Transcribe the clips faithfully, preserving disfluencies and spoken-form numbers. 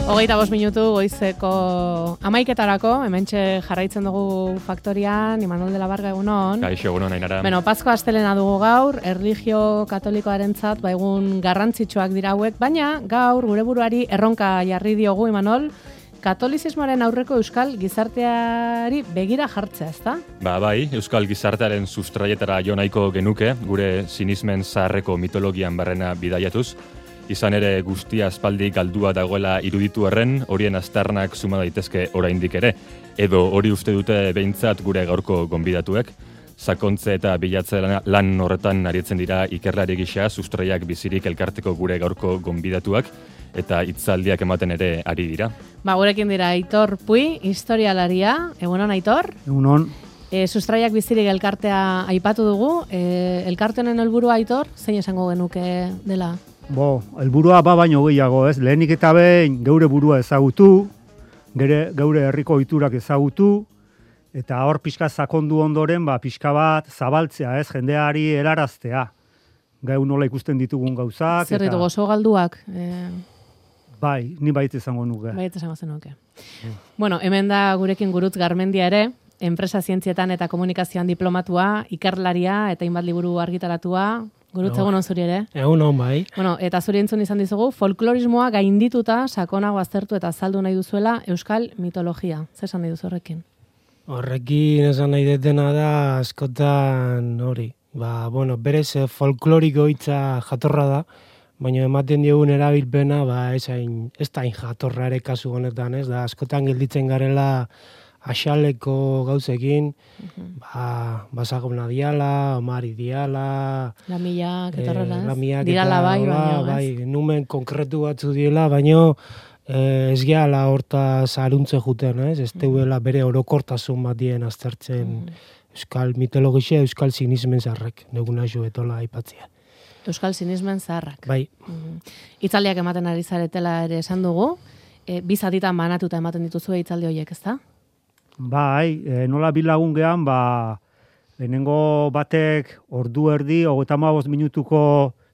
Hogeita bost minutu goizeko amaiketarako, hementxe jarraitzen dugu faktorian, Imanol de la Varga egunon. Kaixo egunon, Ainara. Bueno, Pasko astelena dugu gaur, erlijio katolikoarentzat ba egun garrantzitsuak dira hauek, baina gaur gure buruari erronka jarri diogu, Imanol, katolizismoaren aurreko euskal gizarteari begira jartzea, ezta? Ba, bai, euskal gizartearen sustraietara jo nahiko genuke, gure sinismen zaharreko mitologian barrena bidaiatuz. Izan ere guztia aspaldi galdua dagoela iruditu erren, horien aztarnak suma daitezke oraindik ere, edo hori uste dute behintzat gure gaurko gonbidatuek. Sakontze eta bilatze lan horretan aritzen dira ikerlari gisa, sustraiak bizirik elkarteko gure gaurko gonbidatuak, eta hitzaldiak ematen ere ari dira. Ba, gurekin dira Aitor Pui, historialaria. Egunon, Aitor? Egunon. E, sustraiak bizirik elkartea aipatu dugu. E, elkarte honen helburua, Aitor, zein esango genuke dela? Bo, helburua ba baino gehiago, ez? Lehenik eta behin geure burua ezagutu, gere, geure herriko ohiturak ezagutu, eta hor pixka sakondu ondoren, ba, pixka bat zabaltzea, ez? Jendeari helaraztea. Gau nola ikusten ditugun gauzak. Zer ditu, gozo galduak? E... Bai, ni bait izango nuke. Bait izango zenuke. Mm. Bueno, hemen da gurekin Gurutz Garmendia ere, enpresa zientzietan eta komunikazioan diplomatua, ikerlaria eta hainbat liburu argitaratua. Gurutz, egun on zuri ere. Egun on, bai. Bueno, eta zuri entzun izan dizugu, folklorismoa gaindituta sakonago aztertu eta azaldu nahi duzuela euskal mitologia. Zer esan nahi duzu horrekin? Horrekin esan nahi detena da askotan hori. Ba, bueno, berez folkloriko hitza jatorra da, baina ematen diogun erabilpena, ba, ez hain, ez da hain jatorra ere kasu honetan, ez da, askotan gelditzen garela axaleko gauzekin, uh-huh. ba, basagona diala, omari diala, lamiak, eta horrela, eh, lamiak dirala bai, baina, bai, numen konkretu batzu diela, baina eh, ez gehala horta zaruntze juten, ez? Ez teuela bere orokortasun bat dien aztertzen uh-huh. euskal mitologia, euskal sinismen zaharrak, neguna jo etola aipatzea. Euskal sinismen zaharrak. Bai. Uh-huh. Hitzaldiak ematen ari zaretela ere esan dugu, e, bi zatitan banatuta ematen dituzu hitzaldi horiek, ezta? Bai, e, nola bilagun gehan, ba, lehenengo batek ordu erdi, hogeita hamabost minutuko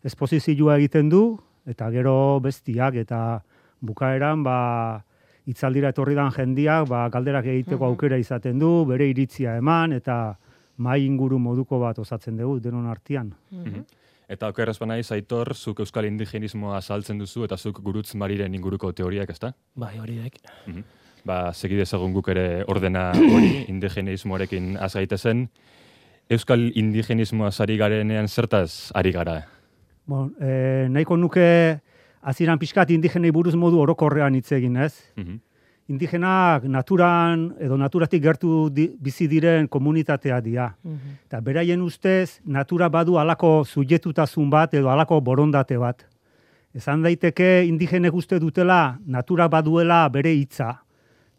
esposizioa egiten du, eta gero bestiak, eta bukaeran, ba, hitzaldira etorri dan jendiak, ba, galderak egiteko uh-huh. aukera izaten du, bere iritzia eman, eta mai inguru moduko bat osatzen dugu, denon artean. Uh-huh. Eta okeraz banaiz, Aitor, zuk euskal indigenismoa saltzen duzu, eta zuk Gurutz Mariren inguruko teoriak, ezta? Bai, hori dek. Uh-huh. Ba, segidezagun guk ere ordena hori, indigenismoarekin az gaitezen. Euskal indigenismoa ari garenean zertaz ari gara? Bon, e, nahiko nuke hasieran pixkat indigenei buruz modu orokorrean hitz egin, ez? Uh-huh. Indigenak naturan edo naturatik gertu di, bizi diren komunitatea dira. Uh-huh. Eta beraien ustez, natura badu halako subjektutasun bat edo halako borondate bat. Esan daiteke indigenek uste dutela natura baduela bere hitza.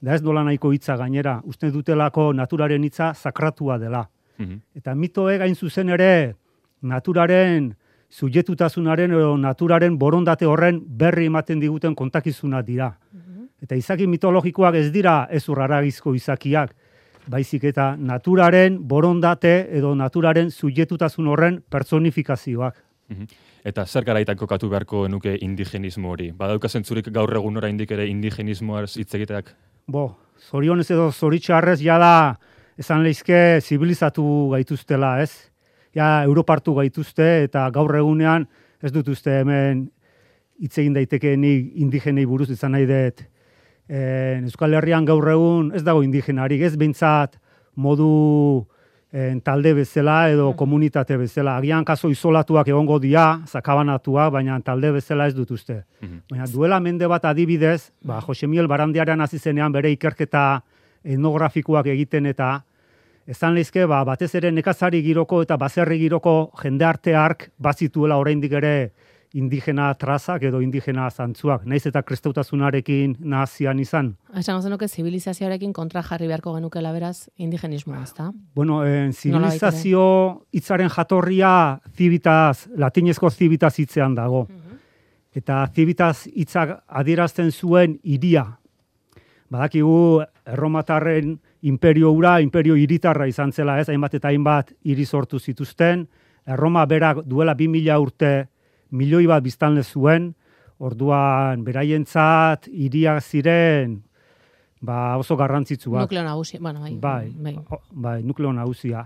Da ez dola nahiko hitza gainera, uste dutelako naturaren hitza sakratua dela. Uh-huh. Eta mitoe gain zuzen ere naturaren subjektutasunaren edo naturaren borondate horren berri ematen diguten kontakizuna dira. Uh-huh. Eta izaki mitologikoak ez dira ez urraragizko izakiak, baizik eta naturaren borondate edo naturaren subjektutasun horren personifikazioak. Uh-huh. Eta zer garaitan kokatu beharko nuke indigenismo hori? Badauka zentzurik gaur egun oraindik ere indigenismoaz hitz egiteak? Bo, zorionez edo zoritxarrez jada esan lehizke zibilizatu gaituztela, ez? Ja, europartu gaituzte eta gaur egunean ez dut uste hemen hitz egin daitekeenik indigenei buruz izan nahi dut. E, Euskal Herrian gaur egun ez dago indigenarik, ez behintzat modu en, talde bezala edo komunitate bezala. Agian kaso isolatuak egongo dira, sakabanatuak, baina talde bezala ez dut uste. Uh-huh. Baina duela mende bat adibidez, ba, Jose Miguel Barandiaran hasi zenean bere ikerketa etnografikoak egiten eta esan lehizke, ba, batez ere nekazari giroko eta baserri giroko jende hark bazituela oraindik ere indigena trazak edo indigena zantzuak, naiz eta kristautasunarekin nahazian izan. Esan zenuke zibilizazioarekin kontra jarri beharko genukela beraz indigenismoa, ezta? Bueno, eh, zibilizazio hitzaren jatorria civitas, latinezko civitas hitzean dago. Uh-huh. Eta civitas hitzak adierazten zuen hiria. Badakigu erromatarren imperio ura, imperio hiritarra izan zela, ez, hainbat eta hainbat hiri sortu zituzten. Erroma berak duela bi mila urte milioi bat biztanle zuen, Orduan, beraientzat hiriak ziren ba, oso garrantzitsuak. Nukleo nagusia, bueno, bai. Bai, bai. o, bai nukleo nagusia.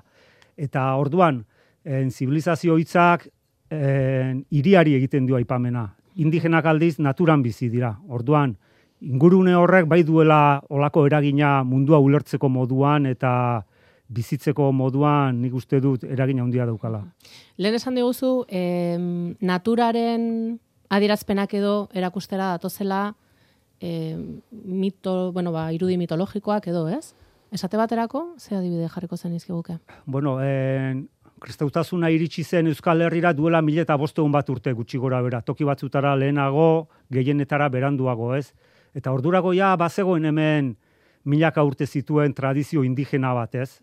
Eta orduan, en, zibilizazio hitzak en, hiriari egiten dio aipamena. Indigenak aldiz naturan bizi dira. Orduan, ingurune horrek bai duela olako eragina mundua ulertzeko moduan eta bizitzeko moduan nik uste dut eragina handia daukala. Lehen esan diguzu, em, naturaren adierazpenak edo erakustera datozela eh, mito, bueno, ba, irudi mitologikoak edo, ez? Esate baterako, ze adibide jarriko zen izkiguke? Bueno, en, kristautasuna iritsi zen Euskal Herrira duela mila eta bosteun bat urte gutxi gora bera. Toki batzutara lehenago, gehienetara beranduago, ez? Eta ordurago ja, bazegoen hemen milaka urte zituen tradizio indigena bat, ez?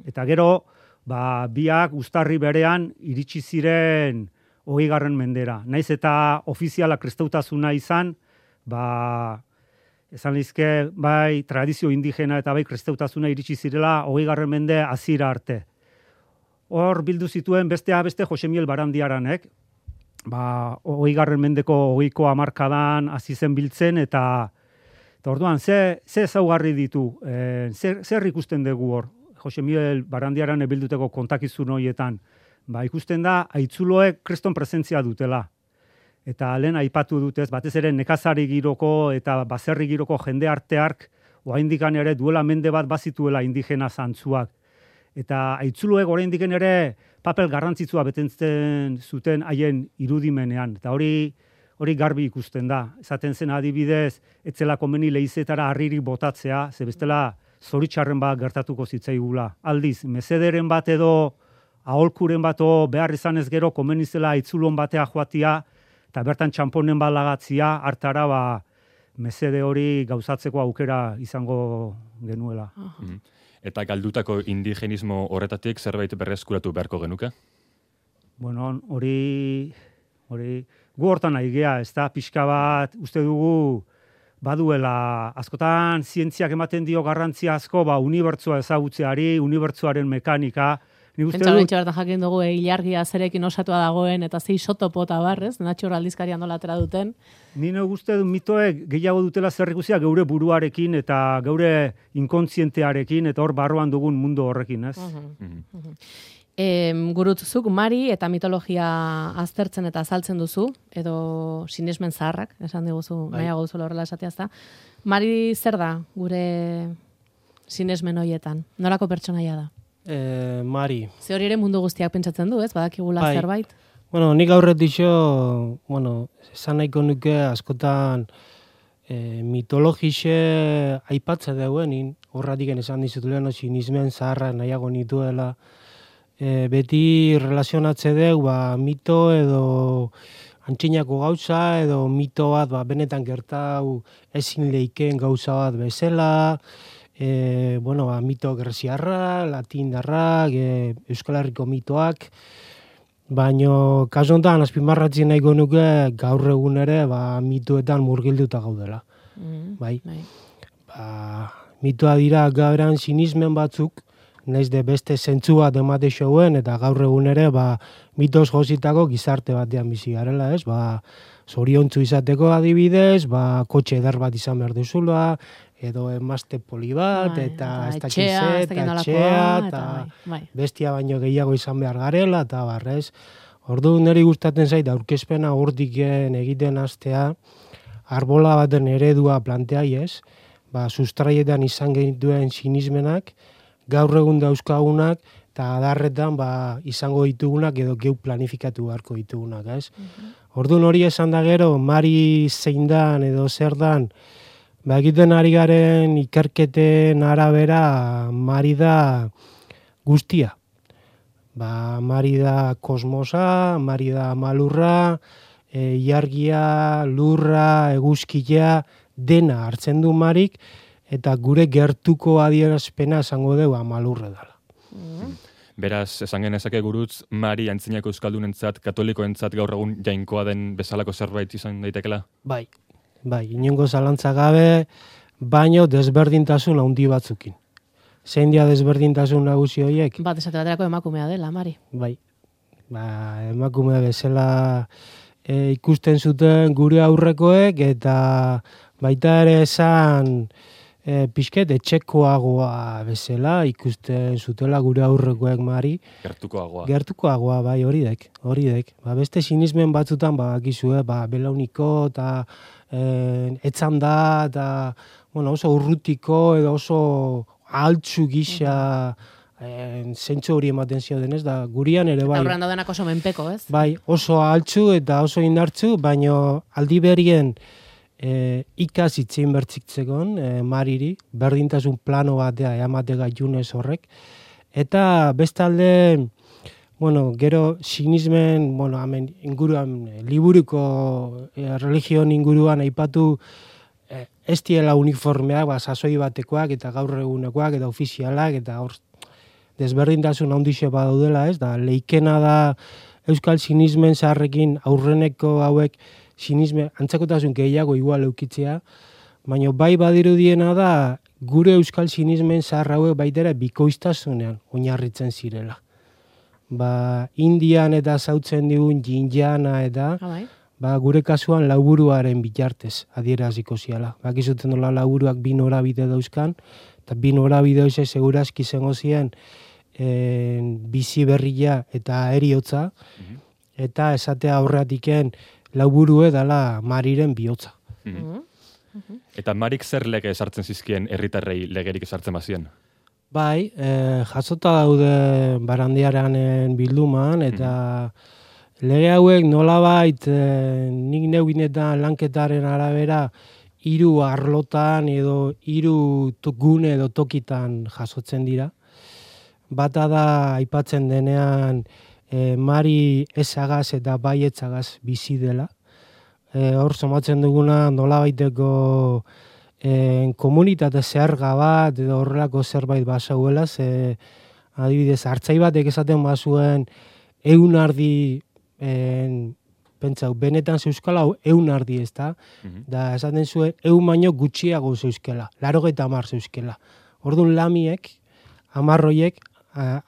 Eta gero, ba, biak uztarri berean iritsi ziren hogeigarren mendera. Naiz eta ofiziala kristautasuna izan, ba, esan lizke, bai, tradizio indigena eta bai kristautasuna iritsi zirela hogeigarren mende hasiera arte. Hor bildu zituen bestea beste Josemiel Barandiaranek, ba, hogeigarren mendeko hogeiko hamarkadan hasi zen biltzen eta eta orduan, ze, ze ezaugarri ditu, e, zer, zer ikusten dugu hor, Josemiel Barandiaran ebilduteko kontakizun horietan, ba, ikusten da, aitzuloek kriston presentzia dutela. Eta lehen aipatu dutez, batez ere nekazari giroko eta baserri giroko jende arteark, oraindikan ere duela mende bat bazituela indigena zantzuak. Eta aitzuloek oraindiken ere papel garrantzitsua betetzen zuten haien irudimenean. Eta hori hori garbi ikusten da. Esaten zen adibidez, etzela komeni leizetara harririk botatzea, ze bestela zoritxarren bat gertatuko zitzaigula. Aldiz, mesederen bat edo aholkuren bato behar izan ez gero komenizela aitzulon batea joatia, eta bertan txamponen bat lagatzia, hartara ba, mesede hori gauzatzeko aukera izango genuela. Mm. Eta galdutako indigenismo horretatik zerbait berreskuratu beharko genuke? Bueno, hori, hori, gu hortan nahi gea, ez da, pixka bat, uste dugu, baduela, askotan zientziak ematen dio garrantzia asko, ba, unibertsoa ezagutzeari, unibertsoaren mekanika. Pentsa horrein bertan jakin dugu, e, ilargia zerekin osatua dagoen, eta ze isotopo eta barrez, Natxor aldizkarian nola atera duten. Nire uste du mitoek gehiago dutela zer ikusia geure buruarekin eta geure inkontzientearekin, eta hor barruan dugun mundu horrekin, ez? Uh -huh. uh -huh. E, gurutzuk Mari eta mitologia aztertzen eta azaltzen duzu, edo sinesmen zaharrak, esan diguzu, bai. Nahiago duzula horrela esatea ezta. Mari zer da gure sinesmen horietan? Norako pertsonaia da? E, Mari. Ze hori ere mundu guztiak pentsatzen du, ez? Badakigula bai. Zerbait? Bueno, nik aurretixo, bueno, esan nahiko nuke askotan e, mitologixe aipatze dauen, horratik esan dizutuleno sinismen zaharra nahiago nituela. E, beti relazionatze dugu, ba, mito edo antxinako gauza, edo mito bat, ba, benetan gertau ezin leikeen gauza bat bezala, e, bueno, ba, mito greziarra, latindarrak, e, Euskal Herriko mitoak, baino kasu honetan azpimarratzen nahiko nuke gaur egun ere ba, mitoetan murgilduta gaudela. Mm, bai? bai. Ba, mitoa dira gauran sinismen batzuk, naiz de beste zentzu bat emate xoen, eta gaur egun ere, ba, mitos jositako gizarte batean bizi garela, ez? Ba, zoriontzu izateko adibidez, ba, kotxe eder bat izan behar duzula, edo emazte poli bat, bai, eta ez dakize, eta etxea, eta bai. Bestia baino gehiago izan behar garela, eta barrez. Ordu niri gustatzen zait, aurkezpena hortiken egiten hastea, arbola baten eredua planteaiez, ba, sustraietan izan genituen sinismenak, gaur egun dauzkagunak, eta adarretan ba, izango ditugunak edo geu planifikatu beharko ditugunak, ez? Uh-huh. Orduan hori esan da gero, Mari zein dan edo zer dan, ba, egiten ari garen ikerketen arabera, Mari da guztia. Ba, Mari da kosmosa, Mari da malurra, e, iargia, lurra, eguzkia, dena hartzen du Marik, eta gure gertuko adierazpena esango dugu malurre dela. Mm. Beraz, esan genezake gurutz, Mari antzinako euskaldunentzat, katolikoentzat gaur egun jainkoa den bezalako zerbait izan daitekela? Bai, bai, inongo zalantza gabe, baino desberdintasun handi batzukin. Zein dia desberdintasun nagusi horiek? Bat esate baterako emakumea dela, Mari. Bai, ba, emakumea bezala e, ikusten zuten gure aurrekoek, eta baita ere esan e, pixket etxekoagoa bezala ikusten zutela gure aurrekoek Mari. Gertukoagoa. Gertukoagoa, bai, hori dek, hori dek. Ba, beste sinismen batzutan, ba, gizue, ba, belauniko, eta e, etzan da, eta bueno, oso urrutiko, edo oso altzu gisa, e, zentzu hori ematen ziodenez, da gurian ere bai. Eta horren daudenak oso menpeko, ez? Bai, oso altzu eta oso indartzu, baino aldi berien e, ikas itzein bertzitzekon, e, Mariri, berdintasun plano batea eamatega junez horrek, eta bestalde, bueno, gero sinismen, bueno, hemen inguruan, liburuko e, religion inguruan aipatu e, ez diela uniformeak, ba, sasoi batekoak eta gaur egunekoak eta ofizialak eta hor desberdintasun handixe badaudela, ez? Da leikena da euskal sinismen zaharrekin aurreneko hauek sinisme antzakotasun gehiago igual eukitzea, baina bai badirudiena da gure euskal sinismen zahar hauek baitera bikoiztasunean oinarritzen zirela. Ba, Indian eta zautzen digun jinjana eta Ah, bai. ba, gure kasuan lauburuaren bitartez adieraziko ziala. Bakizuten dola lauburuak bi norabide dauzkan, eta bi norabide hoxe segurazki zengo ziren en, bizi berria eta eriotza, eta esatea aurratiken lauburue dala Mariren bihotza. Mhm. Eta Marik zer lege esartzen zizkien herritarrei legerik esartzen bazien? Bai, e, jasota daude Barandiaranen bilduman, eta lege hauek nolabait e, nik neuginetan lanketaren arabera hiru arlotan edo hiru gune edo tokitan jasotzen dira. Bata da aipatzen denean e, Mari ezagaz eta baietzagaz bizi dela. E, hor somatzen duguna nolabaiteko e, komunitate zerga bat edo horrelako zerbait basauela, ze adibidez hartzai batek esaten bazuen ehun ardi en, pentsau, benetan zeuskala hau ehun ardi ez da, da esaten zuen ehun baino gutxiago zeuskela, larogeita hamar zeuskela. Orduan lamiek, hamarroiek,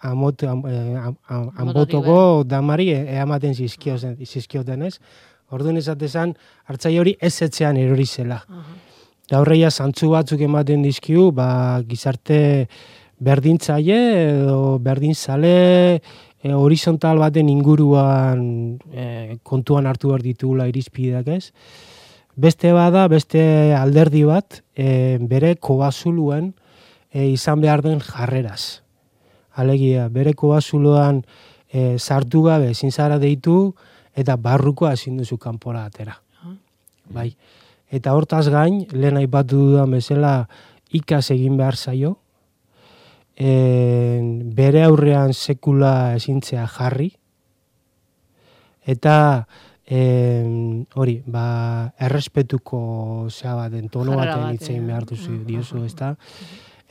amot, am, am, am, ambotoko damari eamaten zizkioten ez. Orduan esatezan, hartzai hori ez etzean erori zela. Da horreia zantzu batzuk ematen dizkiu, ba, gizarte berdintzaile edo berdintzale, E, horizontal baten inguruan e, kontuan hartu behar ditugula irizpideak ez. Beste bada, beste alderdi bat, e, bere kobazuluen e, izan behar den jarreraz. Alegia, bere kobazuluan e, sartu gabe ezin zara deitu eta barrukoa ezin duzu kanpora atera. Bai. Eta hortaz gain, lehen aipatu dudan bezala ikas egin behar zaio, E, bere aurrean sekula ezintzea jarri, eta e, hori, ba, errespetuko zea baten, tono baten hitzein behar duzu diozu, ezta?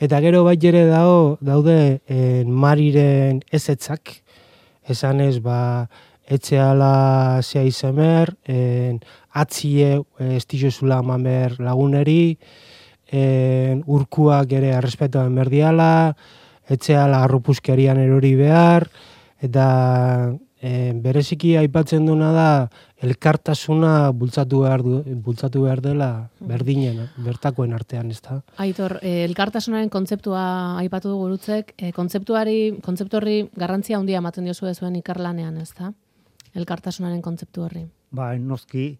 Eta gero bai ere dago, daude en, Mariren ezetzak, esanez, ba, etxeala zea izemer, en, atzie estizozula mamer laguneri, en, urkuak ere errespetoan berdiala, etxeala arrupuskerian erori behar, eta e, bereziki aipatzen duna da elkartasuna bultzatu behar, du, bultzatu behar dela berdinen, bertakoen artean, ez da? Aitor, eh, elkartasunaren kontzeptua aipatu du gurutzek, eh, kontzeptuari, kontzeptu horri garrantzia handia ematen diozu zuen ikarlanean, ez da? Elkartasunaren kontzeptu horri. Ba, noski,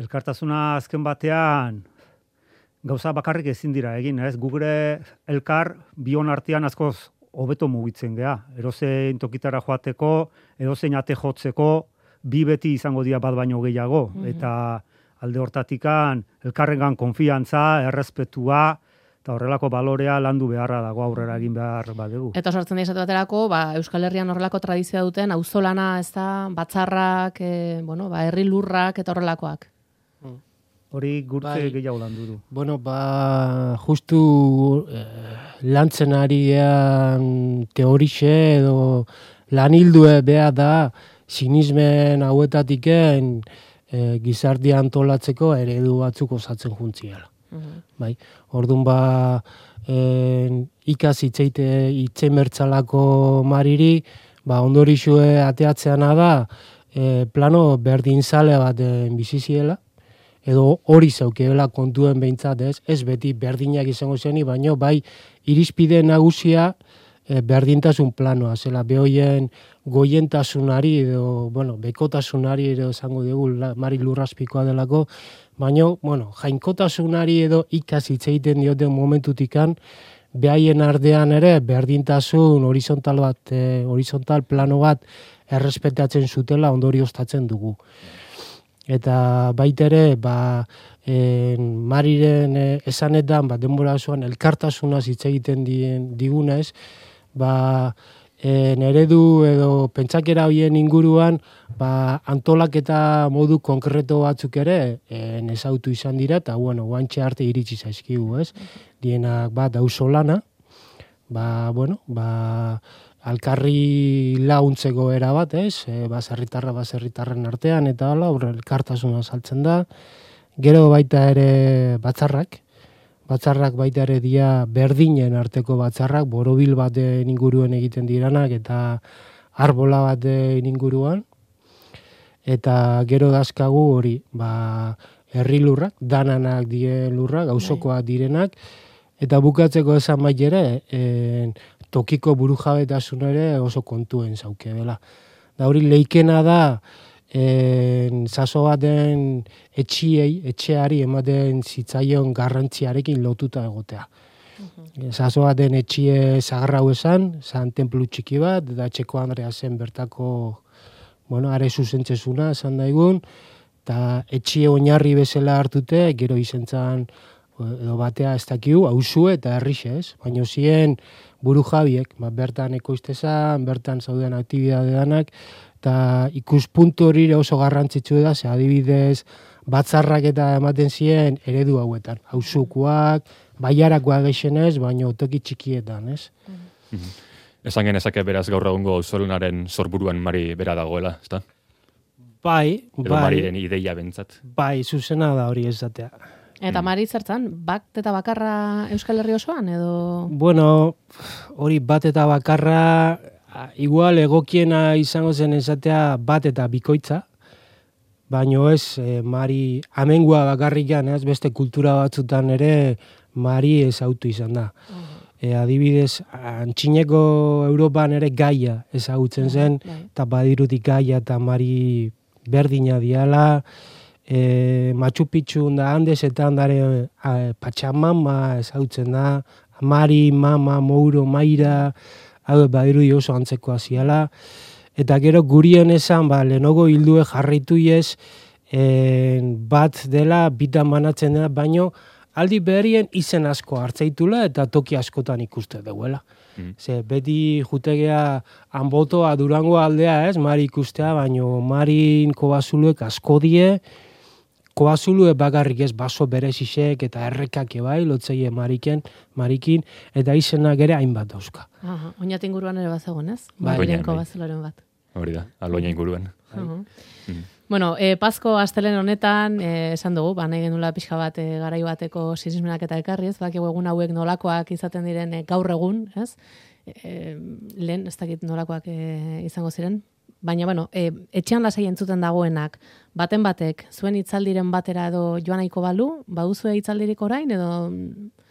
elkartasuna azken batean gauza bakarrik ezin dira egin, ez? Gugure elkar bion artean askoz hobeto mugitzen gea. Erozein tokitara joateko, erozein ate jotzeko, bi beti izango dira bat baino gehiago. Mm-hmm. Eta alde hortatikan elkarrengan konfiantza, errespetua, eta horrelako balorea landu beharra dago aurrera egin behar badegu. Eta sortzen da izate baterako, ba, Euskal Herrian horrelako tradizioa duten, auzolana, ez da, batzarrak, e, bueno, ba, herri lurrak eta horrelakoak. Hori gurtze bai, gehiago landu du. Bueno, ba, justu eh, lantzen arian teorixe edo lanildue beha da sinismen hauetatiken eh, gizartia antolatzeko eredu batzuk osatzen juntziela. Uh-huh. Bai, orduan ba, eh, ikas itzeite itzein bertzalako Mariri, ba, ondorixue ateatzeana da, e, plano berdinzale bat biziziela, edo hori zaukeela kontuen behintzat, ez, ez beti berdinak izango zeni, baino bai irizpide nagusia e, berdintasun planoa, zela behoien goientasunari edo, bueno, bekotasunari edo esango dugu Mari Lurrazpikoa delako, baino, bueno, jainkotasunari edo ikasitz egiten dioten momentutikan, behaien ardean ere berdintasun horizontal bat, e, horizontal plano bat errespetatzen zutela ondorioztatzen dugu. Eta baitere, ba, e, Mariren e, esanetan, ba, denbora osoan elkartasunaz hitz egiten digunez, ba, e, eredu edo pentsakera hoien inguruan, ba, antolaketa modu konkreto batzuk ere e, ezautu izan dira, eta bueno, guantxe arte iritsi zaizkigu, ez? Dienak bat auzolana, ba, bueno, ba, alkarri launtzeko era bat, ez? E, baserritarra baserritarren artean, eta hala, aurre elkartasuna saltzen da. Gero baita ere batzarrak, batzarrak baita ere dia berdinen arteko batzarrak, borobil baten inguruen egiten diranak, eta arbola baten inguruan. Eta gero dazkagu hori, ba, herri lurrak, dananak dien lurrak, auzokoak direnak, eta bukatzeko esan bai ere, en, tokiko burujabetasun ere oso kontuen zauke dela. Da hori leikena da, en, zaso baten etxiei, etxeari ematen zitzaion garrantziarekin lotuta egotea. Uh-huh. Zaso baten etxie zagarrau esan, zan templu txiki bat, da Txeko Andrea zen bertako, bueno, are zuzentzezuna esan daigun, eta etxie oinarri bezala hartute, gero izen zan, edo batea ez dakigu, hausue eta herrixe, ez? Baina zien buru jabiek, ba, bertan ekoiztezan, bertan zauden aktibidade danak, eta ikuspuntu hori oso garrantzitsu da, ze adibidez batzarrak eta ematen ziren eredu hauetan. Hausukoak, baiarakoak geixenez, baina toki txikietan, ez? Mm-hmm. Esan genezake beraz gaur egungo auzolunaren sorburuan Mari bera dagoela, ezta? Bai, bai. Edo Mariren ideia bentzat. Bai, zuzena da hori ezatea. Eta Mari zertzan, bat eta bakarra Euskal Herri osoan, edo? Bueno, hori bat eta bakarra, igual egokiena izango zen esatea bat eta bikoitza, baino ez, e, Mari amengua bakarrikan, ez, beste kultura batzutan ere Mari ezautu izan da. Uh-huh. E, adibidez, antxineko Europan ere Gaia ezagutzen zen, uh-huh. eta badirutik Gaia eta Mari berdina diala, E, Machu Picchu da Andesetan dare a, Pachamama ezautzen da, Mari, Mama, Mouro, Maira, hau badiru oso antzeko ziala. Eta gero gurien esan, ba, lenogo hildue jarraitu ez, e, bat dela, bitan banatzen dela, baino aldi berrien izen asko hartzeitula eta toki askotan ikuste duela. Mm. Ze, beti jutegea Anbotoa, Durango aldea, ez, Mari ikustea, baino Marin kobazuluek asko die, koazulue bakarrik ez baso berezisek eta errekak bai, lotzeie Mariken, Marikin, eta izenak ere hainbat dauzka. Aha, oinat inguruan ere bazagon, ez? Bai, Mariren kobazuloren bat. Hori da, aloina inguruan. Uh-huh. Mm. Bueno, e, Pasko astelen honetan, e, esan dugu, ba, nahi genula pixka bat e, garai bateko sinismenak eta ekarri, ez? Bakigu egun hauek nolakoak izaten diren e, gaur egun, ez? E, lehen, ez dakit nolakoak e, izango ziren. Baina, bueno, e, etxean lasai entzuten dagoenak, baten batek, zuen hitzaldiren batera edo joan nahiko balu, baduzue hitzaldirik orain, edo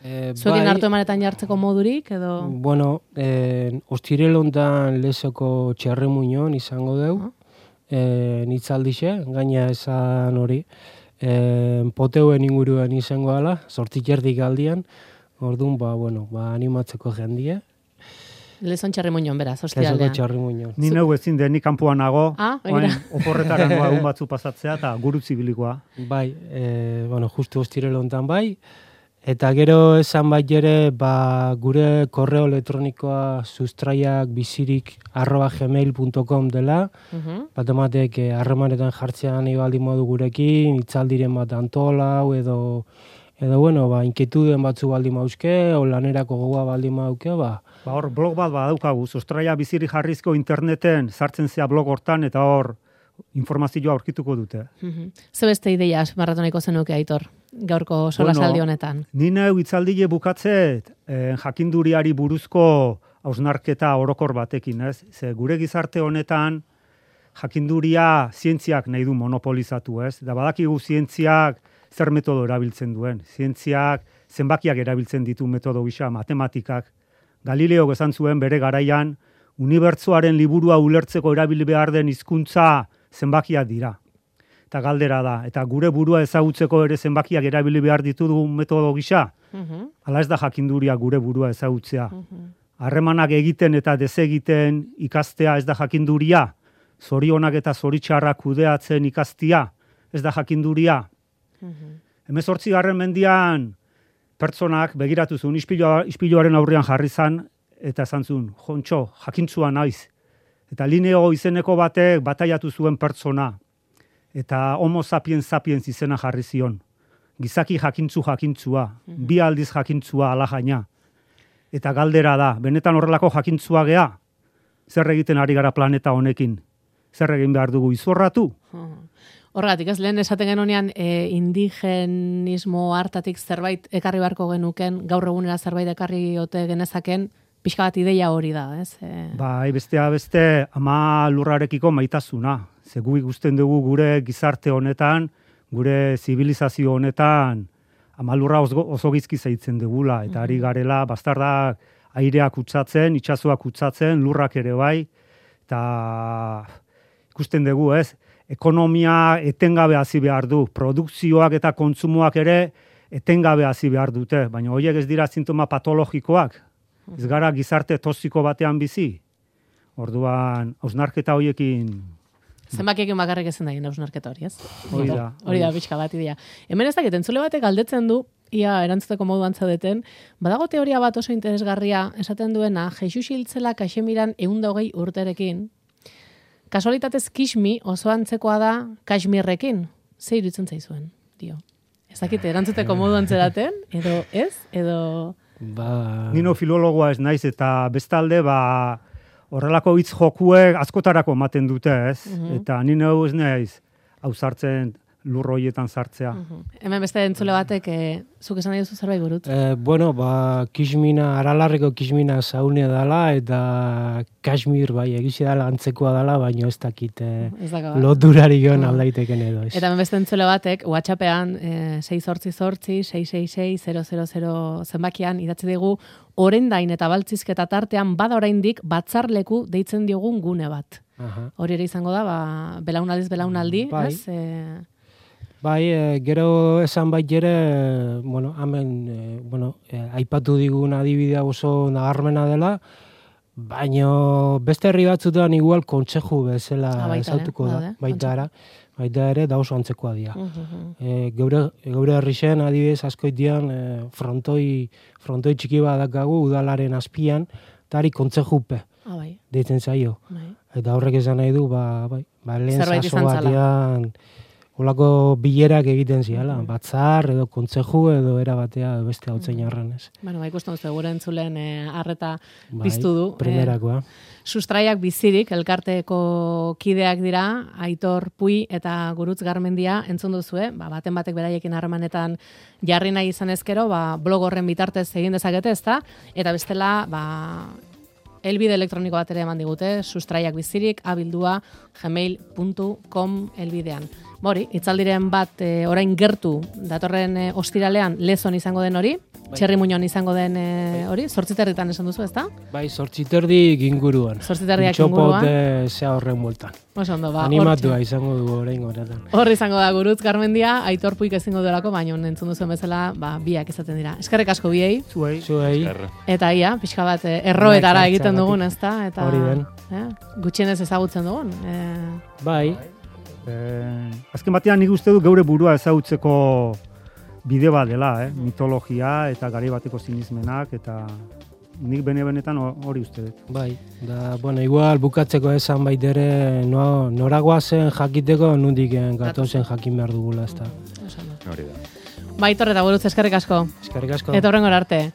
e, zuekin bai, hartu emanetan jartzeko modurik, edo... Bueno, e, ostirel hontan lezoko txerremuñon izango deu, uh-huh. e, hitzaldixe, gaina esan hori, e, poteuen inguruen izango ala, zortzik erdik aldian, orduan, ba, bueno, ba, animatzeko jendia. Lezon txarrimuñon, beraz, ostialean. Lezoko txarrimuñon. Ni neu ezin den, ni kanpoan nago, ah, oporretara noa egun batzu pasatzea, eta gurutzi bilikoa. Bai, e, bueno, justu ostirel hontan bai, eta gero esan bai ere, ba, gure korreo elektronikoa sustraiak bizirik arroba gmail punto com dela, uh-huh. bat ematek eh, harremanetan jartzean ibaldi modu gurekin, itzaldiren bat antolau, edo, edo bueno, ba, inketuden batzu baldi mauzke, o lanerako gogoa baldi mauke, ba, Ba hor, blog bat badaukagu, sustraia biziri jarrizko interneten sartzen zea blog hortan, eta hor informazioa aurkituko dute. Mm-hmm. Ze beste ideia marratoniko zenuke, Aitor, gaurko solasaldi honetan? Bueno, ni neu itzaldile bukatzet, eh, jakinduriari buruzko hausnarketa orokor batekin, ez? Ze gure gizarte honetan, jakinduria zientziak nahi du monopolizatu, ez? Da badakigu zientziak zer metodo erabiltzen duen. Zientziak zenbakiak erabiltzen ditu metodo gisa, matematikak. Galileo esan zuen bere garaian, unibertsoaren liburua ulertzeko erabili behar den hizkuntza zenbakiak dira. Eta galdera da, eta gure burua ezagutzeko ere zenbakiak erabili behar ditugu metodo gisa, Mhm. hala ez da jakinduria gure burua ezagutzea. Mhm. Harremanak egiten eta desegiten ikastea ez da jakinduria, zorionak eta zoritxarrak kudeatzen ikastia, ez da jakinduria. Mhm. Hemezortzigarren mendian pertsonak begiratu zuen ispiloa, ispiloaren aurrean jarri zan, eta esan zuen, jontxo, jakintzua naiz. Eta Lineo izeneko batek bataiatu zuen pertsona, eta homo sapiens sapiens izena jarri zion. Gizaki jakintzu jakintzua, bi aldiz jakintzua alajaina. Eta galdera da, benetan horrelako jakintzua gea, zer egiten ari gara planeta honekin? Zer egin behar dugu izorratu? Horregatik, ez lehen esaten genunean e, indigenismo hartatik zerbait ekarri beharko genuken, gaur egunera zerbait ekarri ote genezaken, pixka bat ideia hori da, ez? E... Bai, bestea beste ama lurrarekiko maitasuna. Ze gu ikusten dugu gure gizarte honetan, gure zibilizazio honetan, ama lurra oso, oso gizki zaitzen dugula, eta ari garela, bastardak aireak utzatzen, itsasoak utzatzen, lurrak ere bai, eta ikusten dugu, ez? Ekonomia etengabe hasi behar du, produkzioak eta kontsumoak ere etengabe hasi behar dute, baina horiek ez dira sintoma patologikoak, ez gara gizarte toxiko batean bizi. Orduan, hausnarketa horiekin... Zenbakiekin bakarrik ezin da egin hausnarketa hori, ez? Hori da. Hori da, pixka bat idea. Hemen ez dakit, entzule batek galdetzen du, ia erantzuteko moduan zaudeten, badago teoria bat oso interesgarria, esaten duena, Jesus hiltzela Kaxemiran ehun eta hogei urterekin, kasualitatez Kixmi oso antzekoa da Kaxmirrekin. Ze iruditzen zaizuen, dio. Ez dakit, erantzuteko moduan zeraten, edo ez, edo... Ba... Nino filologoa ez naiz, eta bestalde, ba, horrelako hitz jokuek askotarako ematen dute, ez? Mhm. Eta nino ez naiz, hau sartzen lurroietan sartzea. Mhm. Hemen beste entzule batek, e, zuk esan nahi duzu zerbait burut? Eh, bueno, ba, Kixmina, Aralarreko Kixmina zaunea dela, eta Kashmir, bai, egizia dela antzekoa dela, baina ez dakit eh, Ez daka, loturarik Ah. egon aldaiteken edo ez. Eta hemen beste entzule batek, WhatsAppean, e, sei zortzi zortzi, sei sei sei, zero zero zero zenbakian, idatzi digu, orendain eta baltzizketa tartean, bada oraindik batzarleku deitzen diogun gune bat. Aha. Hori ere izango da, ba, belaunaldiz belaunaldi, Bai. ez? E, Bai, e, gero esan bait ere, bueno, hemen, e, bueno, e, aipatu digun adibidea oso nabarmena dela, baino beste herri batzutan igual kontseju bezala Ah, baita ere, ezautuko da, badaude, baita era, baita ere da oso antzekoa dira. mhm. E, geure, geure herri zen adibidez askoit dian e, frontoi, frontoi txiki bat dakagu udalaren azpian, eta ari kontsejupe Ah, bai, deitzen zaio. bai. Eta horrek esan nahi du, ba, bai, ba lehen Zerbait saso izan zala. batean olako bilerak egiten ziala, batzar edo kontzeju edo era batea edo beste hautzen jarran ez. Bueno, ba, ikusten duzu, gure entzulen e, arreta Bai, piztu du. Primerakoa. Sustraiak bizirik, elkarteko kideak dira, Aitor Pui eta Gurutz Garmendia entzun duzue, ba, baten batek beraiekin harremanetan jarri nahi izan ezkero, ba, blog horren bitartez egin dezakete, ezta? Eta bestela, ba, elbide elektroniko bat ere eman digute, sustraiak bizirik, abildua, gmail puntu com elbidean. Hori, itzaldiren bat e, orain gertu, datorren e, ostiralean lezon izango den hori, txerri muñon izango den e, hori, zortziterritan esan duzu, ezta? Bai, zortziterdik inguruan. Zortziterriak inguruan. Txopot zea horren bueltan. Oso ondo, ba, Animatua izango du orain horretan. Hor izango da Gurutz Garmendia, Aitor Puik ezingo duelako, baina entzun duzuen bezala, ba, biak izaten dira. Eskerrik asko biei, Zuei. Zuei, Esker. eta ia, pixka bat eh, erroetara Bai, egiten jartzeagatik. dugun, ezta? Eta, Hori den. Eh, gutxienez ezagutzen dugun. Eh, bai, Eh, azken batean nik uste du geure burua ezagutzeko bide bat dela, eh? Mitologia eta garai bateko sinismenak, eta nik bene-benetan hori uste dut. bai. Da, bueno, igual bukatzeko esan baitere no, noragoa zen jakiteko nundik gatozen jakin behar dugula, ezta. oso ondo. Hori da. Ba, Aitor eta Gurutz, eskerrik asko. Eskerrik asko. Eta horrengora arte.